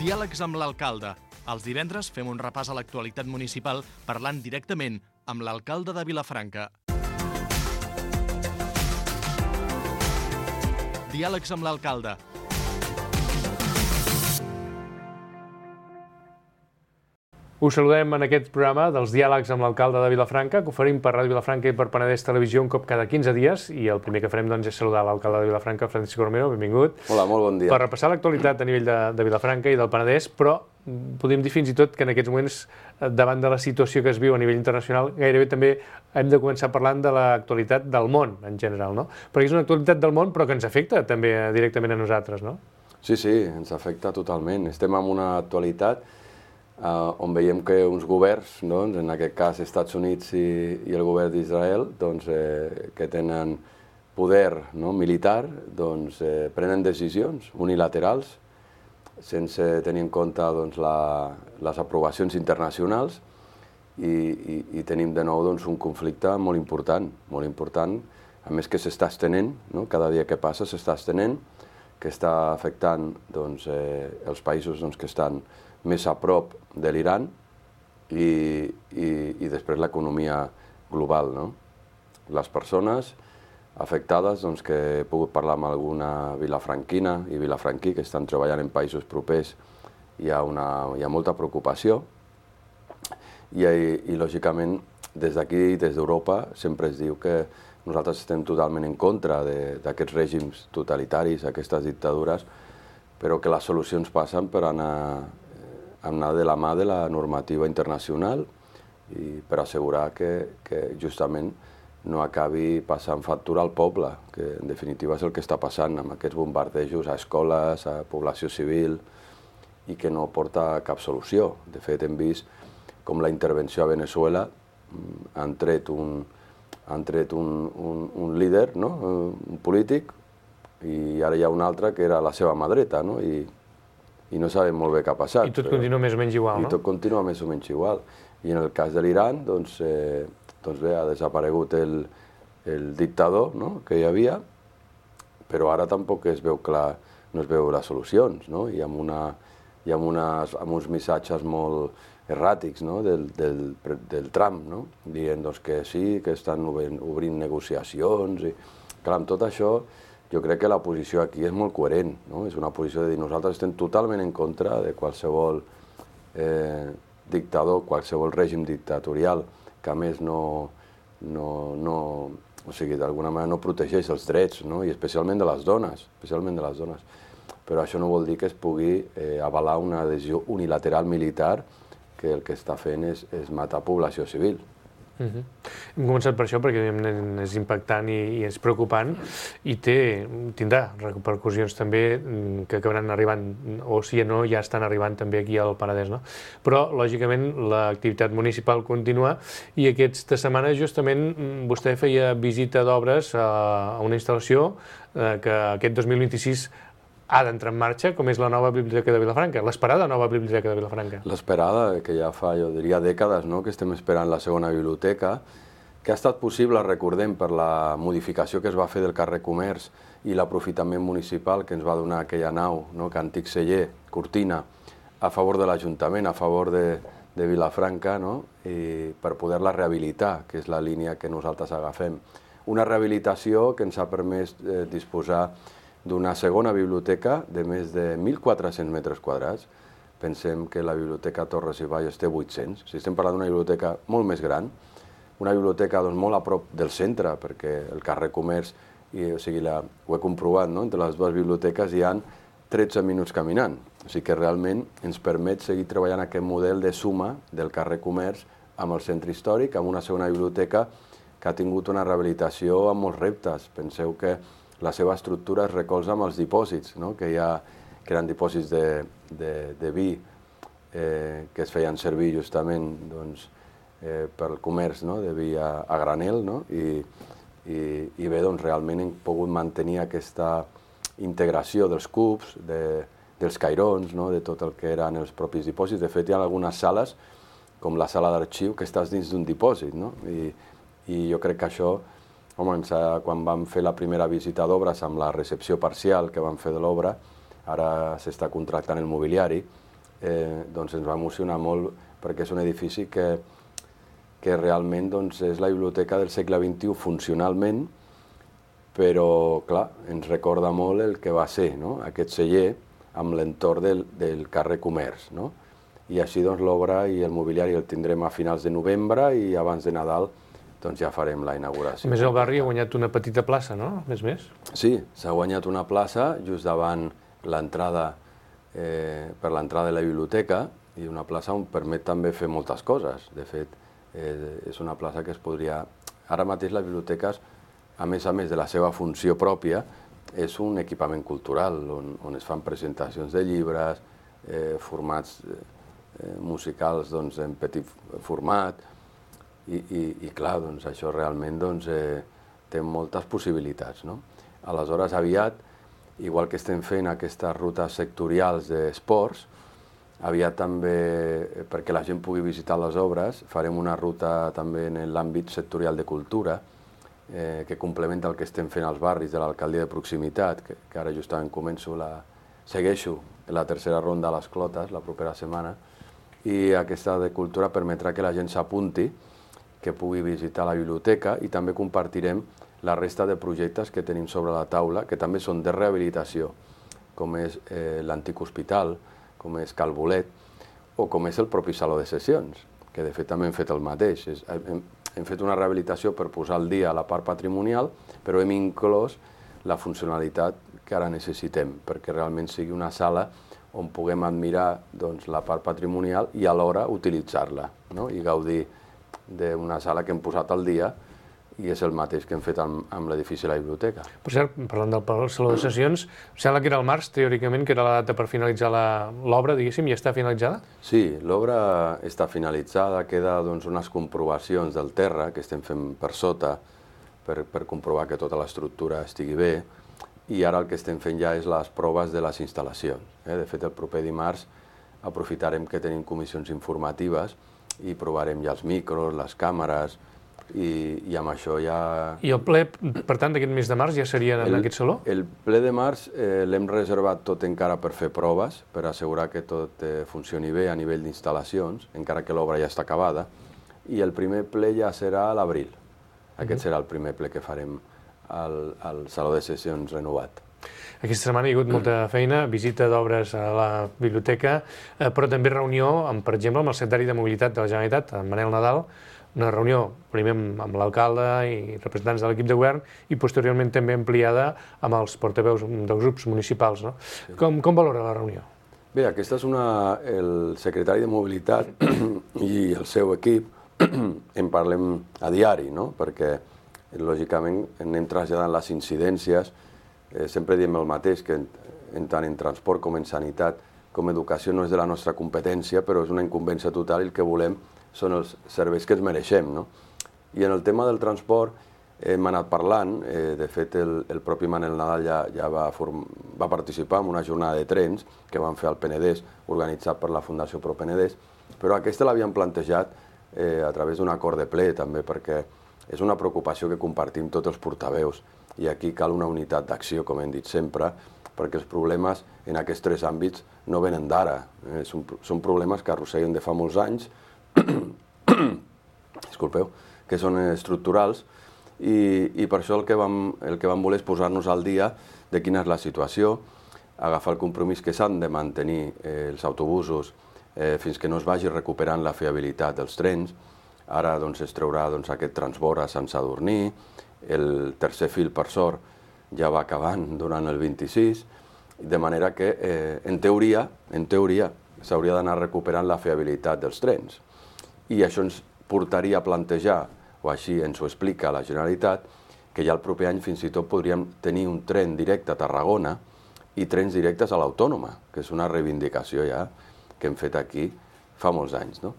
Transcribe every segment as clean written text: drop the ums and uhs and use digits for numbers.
Diàlegs amb l'alcalde. Els divendres fem un repàs a l'actualitat municipal parlant directament amb l'alcalde de Vilafranca. Diàlegs amb l'alcalde. Us saludem en aquest programa dels diàlegs amb l'alcalde de Vilafranca, que oferim per Ràdio Vilafranca i per Penedès Televisió un cop cada 15 dies, i el primer que farem és saludar l'alcalde de Vilafranca, Francisco Romero, benvingut. Hola, molt bon dia. Per repassar l'actualitat a nivell de Vilafranca i del Penedès, però podríem dir fins i tot que en aquests moments, davant de la situació que es viu a nivell internacional, gairebé també hem de començar parlant de l'actualitat del món en general, no? Perquè és una actualitat del món, però que ens afecta també directament a nosaltres, no? Sí, ens afecta totalment. Estem en una actualitat on veiem que uns governs, en aquest cas Estats Units i el govern d'Israel, que tenen poder militar, prenen decisions unilaterals sense tenir en compte les aprovacions internacionals i tenim de nou un conflicte molt important, a més que s'està estenent, cada dia que passa s'està estenent, que està afectant els països que estan més a prop de l'Iran i després l'economia global. Les persones afectades, que he pogut parlar amb alguna vilafranquina i vilafranquí que estan treballant en països propers, hi ha molta preocupació i lògicament des d'aquí, des d'Europa, sempre es diu que nosaltres estem totalment en contra d'aquests règims totalitaris, aquestes dictadures, però que les solucions passen per anar de la mà de la normativa internacional i per assegurar que justament no acabi passant factura al poble, que en definitiva és el que està passant amb aquests bombardejos a escoles, a població civil, i que no porta cap solució. De fet, hem vist com la intervenció a Venezuela han tret un líder, un polític, i ara hi ha un altre que era la seva mà dreta, i no sabem molt bé què ha passat. I tot continua més o menys igual, no? I tot continua més o menys igual. I en el cas de l'Iran, ha desaparegut el dictador que hi havia, però ara tampoc es veu clar, no es veu les solucions, i amb uns missatges molt erràtics del Trump, dient que sí, que estan obrint negociacions. Clar, amb tot això, jo crec que la posició aquí és molt coherent, és una posició de dir nosaltres estem totalment en contra de qualsevol dictador, qualsevol règim dictatorial que a més d'alguna manera no protegeix els drets, i especialment de les dones, però això no vol dir que es pugui avalar una decisió unilateral militar que el que està fent és matar població civil. Hem començat per això perquè és impactant i és preocupant i tindrà repercussions també que acabaran arribant, o si no ja estan arribant també aquí al Penedès, no? Però lògicament l'activitat municipal continua i aquesta setmana justament vostè feia visita d'obres a una instal·lació que aquest 2026 ha d'entrar en marxa, com és la nova Biblioteca de Vilafranca, l'esperada nova Biblioteca de Vilafranca. L'esperada, que ja fa, jo diria, dècades, que estem esperant la segona biblioteca, que ha estat possible, recordem, per la modificació que es va fer del carrer Comerç i l'aprofitament municipal que ens va donar aquella nau, que antic celler, cortina, a favor de l'Ajuntament, a favor de Vilafranca, i per poder-la rehabilitar, que és la línia que nosaltres agafem. Una rehabilitació que ens ha permès disposar d'una segona biblioteca de més de 1.400 metres quadrats. Pensem que la biblioteca Torres i Bages té 800. Estem parlant d'una biblioteca molt més gran, una biblioteca molt a prop del centre, perquè el carrer Comerç, ho he comprovat, entre les dues biblioteques hi ha 13 minuts caminant. O sigui que realment ens permet seguir treballant aquest model de suma del carrer Comerç amb el centre històric, amb una segona biblioteca que ha tingut una rehabilitació amb molts reptes. Penseu que la seva estructura es recolza amb els dipòsits, que eren dipòsits de vi que es feien servir justament pel comerç de vi a granel, i bé, realment hem pogut mantenir aquesta integració dels cubs, dels cairons, de tot el que eren els propis dipòsits. De fet, hi ha algunes sales, com la sala d'arxiu, que estàs dins d'un dipòsit, i jo crec que això, quan vam fer la primera visita d'obres amb la recepció parcial que vam fer de l'obra, ara s'està contractant el mobiliari, doncs ens va emocionar molt perquè és un edifici que realment doncs, és la biblioteca del segle XXI funcionalment, però, clar, ens recorda molt el que va ser, no? Aquest celler amb l'entorn del carrer Comerç, no? I així doncs, l'obra i el mobiliari el tindrem a finals de novembre i abans de Nadal doncs, ja farem la inauguració. A més, el barri ha guanyat una petita plaça, no? Més. Sí, s'ha guanyat una plaça just davant l'entrada, per l'entrada de la biblioteca, i una plaça on permet també fer moltes coses. De fet, és una plaça que es podria... Ara mateix les biblioteques, a més de la seva funció pròpia, és un equipament cultural on es fan presentacions de llibres, formats musicals doncs, en petit format, i clar, doncs, això realment doncs, té moltes possibilitats. No? Aleshores, aviat, igual que estem fent aquestes rutes sectorials d'esports, aviat també, perquè la gent pugui visitar les obres, farem una ruta també en l'àmbit sectorial de cultura, que complementa el que estem fent als barris de l'alcaldia de proximitat, que ara justament segueixo la tercera ronda a les Clotes la propera setmana, i aquesta de cultura permetrà que la gent s'apunti, que pugui visitar la biblioteca, i també compartirem la resta de projectes que tenim sobre la taula, que també són de rehabilitació, com és l'antic hospital, com és Cal Bolet, o com és el propi Saló de Sessions, que de fet també hem fet el mateix. Hem fet una rehabilitació per posar al dia la part patrimonial, però hem inclòs la funcionalitat que ara necessitem, perquè realment sigui una sala on puguem admirar doncs, la part patrimonial i alhora utilitzar-la, no? I gaudir d'una sala que hem posat al dia, i és el mateix que hem fet amb l'edifici de la biblioteca. Per cert, parlant del Saló de Sessions, sembla que era el març, teòricament, que era la data per finalitzar l'obra, diguéssim, ja està finalitzada? Sí, l'obra està finalitzada, queda doncs, unes comprovacions del terra que estem fent per sota per comprovar que tota l'estructura estigui bé, i ara el que estem fent ja és les proves de les instal·lacions. De fet, el proper dimarts aprofitarem que tenim comissions informatives i provarem ja els micros, les càmeres, i amb això ja... I el ple, per tant, d'aquest mes de març ja seria en aquest saló? El ple de març l'hem reservat tot encara per fer proves, per assegurar que tot funcioni bé a nivell d'instal·lacions, encara que l'obra ja està acabada, i el primer ple ja serà a l'abril. Aquest serà el primer ple que farem al Saló de Sessions renovat. Aquesta setmana hi ha hagut molta feina, visita d'obres a la biblioteca, però també reunió, per exemple, amb el secretari de Mobilitat de la Generalitat, en Manel Nadal, una reunió primer amb l'alcalde i representants de l'equip de govern i posteriorment també ampliada amb els portaveus dels grups municipals. No? Sí. Com valora la reunió? Bé, aquesta és el secretari de Mobilitat i el seu equip en parlem a diari, no? Perquè lògicament anem traslladant les incidències, sempre diem el mateix, que tant en transport com en sanitat com educació no és de la nostra competència, però és una incumbència total i el que volem són els serveis que ens mereixem. No? I en el tema del transport hem anat parlant, de fet el propi Manel Nadal ja va participar en una jornada de trens que van fer al Penedès, organitzat per la Fundació Pro Penedès, però aquesta l'havíem plantejat a través d'un acord de ple també, perquè és una preocupació que compartim tots els portaveus i aquí cal una unitat d'acció, com hem dit sempre, perquè els problemes en aquests tres àmbits no venen d'ara, són problemes que arrosseguen de fa molts anys, disculpeu, que són estructurals i per això el que vam voler és posar-nos al dia de quina és la situació, agafar el compromís que s'han de mantenir els autobusos fins que no es vagi recuperant la fiabilitat dels trens. Ara doncs, es traurà aquest transbord a Sant Sadurní, el tercer fil, per sort, ja va acabant durant el 26, de manera que, en teoria, s'hauria d'anar recuperant la fiabilitat dels trens. I això ens portaria a plantejar, o així ens ho explica la Generalitat, que ja el proper any fins i tot podríem tenir un tren directe a Tarragona i trens directes a l'Autònoma, que és una reivindicació ja que hem fet aquí fa molts anys. No?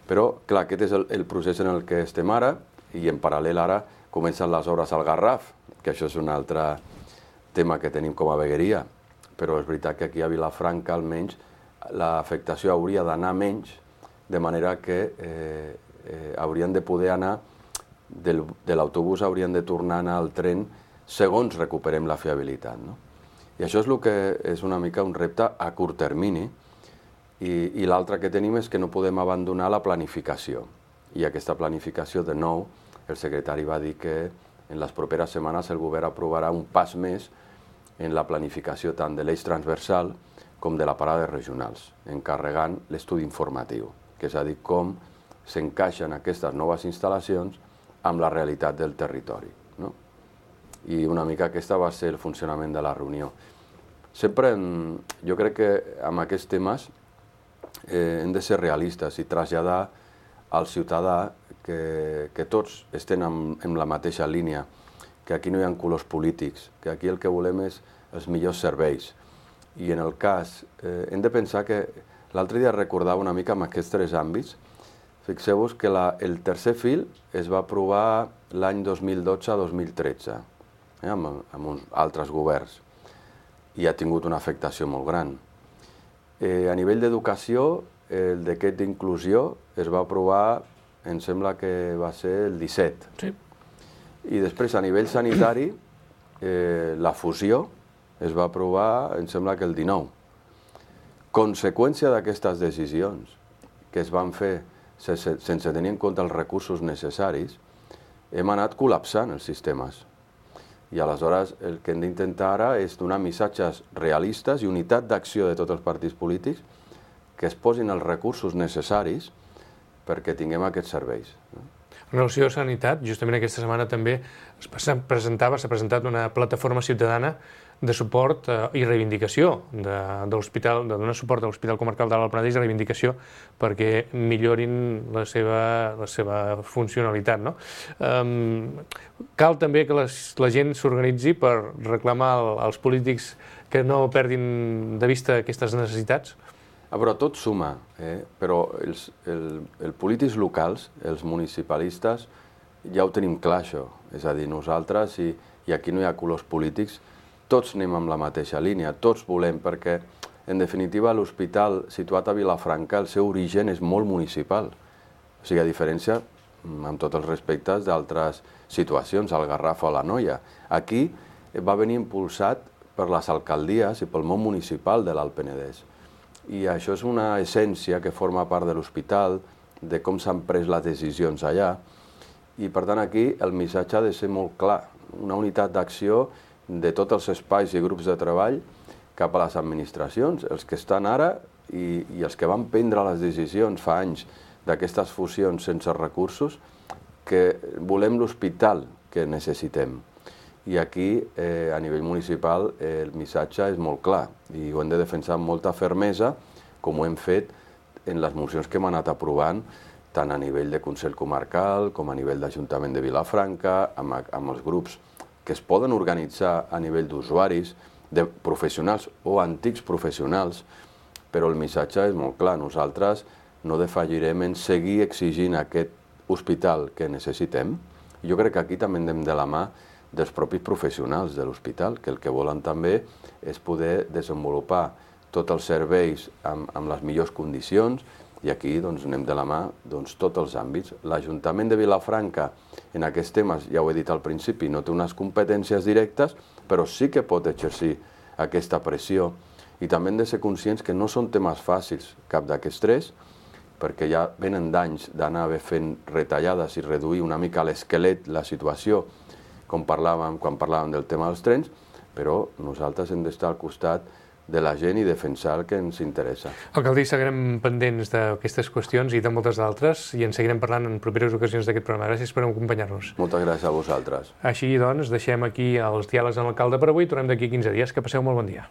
Però, clar, aquest és el procés en el que estem ara, i en paral·lel ara comencen les obres al Garraf, que això és un altre tema que tenim com a vegueria, però és veritat que aquí a Vilafranca almenys l'afectació hauria d'anar menys, de manera que haurien de poder anar, de l'autobús haurien de tornar a anar al tren segons recuperem la fiabilitat. No? I això és el que és una mica un repte a curt termini, I l'altre que tenim és que no podem abandonar la planificació. I aquesta planificació, de nou, el secretari va dir que en les properes setmanes el govern aprovarà un pas més en la planificació tant de l'eix transversal com de la parada regionals, encarregant l'estudi informatiu, que és a dir, com s'encaixen aquestes noves instal·lacions amb la realitat del territori. No? I una mica aquesta va ser el funcionament de la reunió. Sempre, jo crec que amb aquests temes hem de ser realistes i traslladar al ciutadà que tots estem en la mateixa línia, que aquí no hi ha colors polítics, que aquí el que volem és els millors serveis. I en el cas, hem de pensar que l'altre dia recordava una mica amb aquests tres àmbits. Fixeu-vos que el tercer fil es va aprovar l'any 2012-2013, amb altres governs, i ha tingut una afectació molt gran. A nivell d'educació, el decret d'inclusió es va aprovar, em sembla que va ser el 17. Sí. I després, a nivell sanitari, la fusió es va aprovar, em sembla que el 19. Conseqüència d'aquestes decisions que es van fer sense tenir en compte els recursos necessaris, hem anat col·lapsant els sistemes. I aleshores el que hem d'intentar ara és donar missatges realistes i unitat d'acció de tots els partits polítics que es posin els recursos necessaris perquè tinguem aquests serveis. En relació a sanitat, justament aquesta setmana també s'ha presentat una plataforma ciutadana de suport i reivindicació de l'hospital, de donar suport a l'Hospital Comarcal de l'Alt Penedès i reivindicació perquè millorin la seva funcionalitat. No? Cal també que la gent s'organitzi per reclamar als polítics que no perdin de vista aquestes necessitats? Però tot suma, però els polítics locals, els municipalistes, ja ho tenim clar això. És a dir, nosaltres, i aquí no hi ha colors polítics, tots anem amb la mateixa línia, tots volem, perquè en definitiva l'hospital situat a Vilafranca, el seu origen és molt municipal. O sigui, a diferència, amb tots els respectes, d'altres situacions, al Garraf o a la Noia. Aquí va venir impulsat per les alcaldies i pel món municipal de l'Alt Penedès. I això és una essència que forma part de l'hospital, de com s'han pres les decisions allà. I per tant aquí el missatge ha de ser molt clar, una unitat d'acció de tots els espais i grups de treball cap a les administracions, els que estan ara i els que van prendre les decisions fa anys d'aquestes fusions sense recursos, que volem l'hospital que necessitem. I aquí, a nivell municipal, el missatge és molt clar i ho hem de defensar amb molta fermesa, com ho hem fet en les mocions que hem anat aprovant, tant a nivell de Consell Comarcal com a nivell d'Ajuntament de Vilafranca, amb els grups que es poden organitzar a nivell d'usuaris, de professionals o antics professionals, però el missatge és molt clar. Nosaltres no defallirem en seguir exigint aquest hospital que necessitem. Jo crec que aquí també anem de la mà dels propis professionals de l'hospital, que el que volen també és poder desenvolupar tots els serveis amb les millors condicions, i aquí anem de la mà tots els àmbits. L'Ajuntament de Vilafranca en aquests temes, ja ho he dit al principi, no té unes competències directes, però sí que pot exercir aquesta pressió. I també hem de ser conscients que no són temes fàcils, cap d'aquests tres, perquè ja venen d'anys d'anar fent retallades i reduir una mica l'esquelet, la situació, quan parlàvem del tema dels trens, però nosaltres hem d'estar al costat de la gent i defensar el que ens interessa. Alcalde, seguirem pendents d'aquestes qüestions i de moltes d'altres i en seguirem parlant en properes ocasions d'aquest programa. Gràcies per acompanyar-nos. Moltes gràcies a vosaltres. Així doncs, deixem aquí els diàlegs amb l'alcalde per avui i tornem d'aquí 15 dies. Que passeu molt bon dia.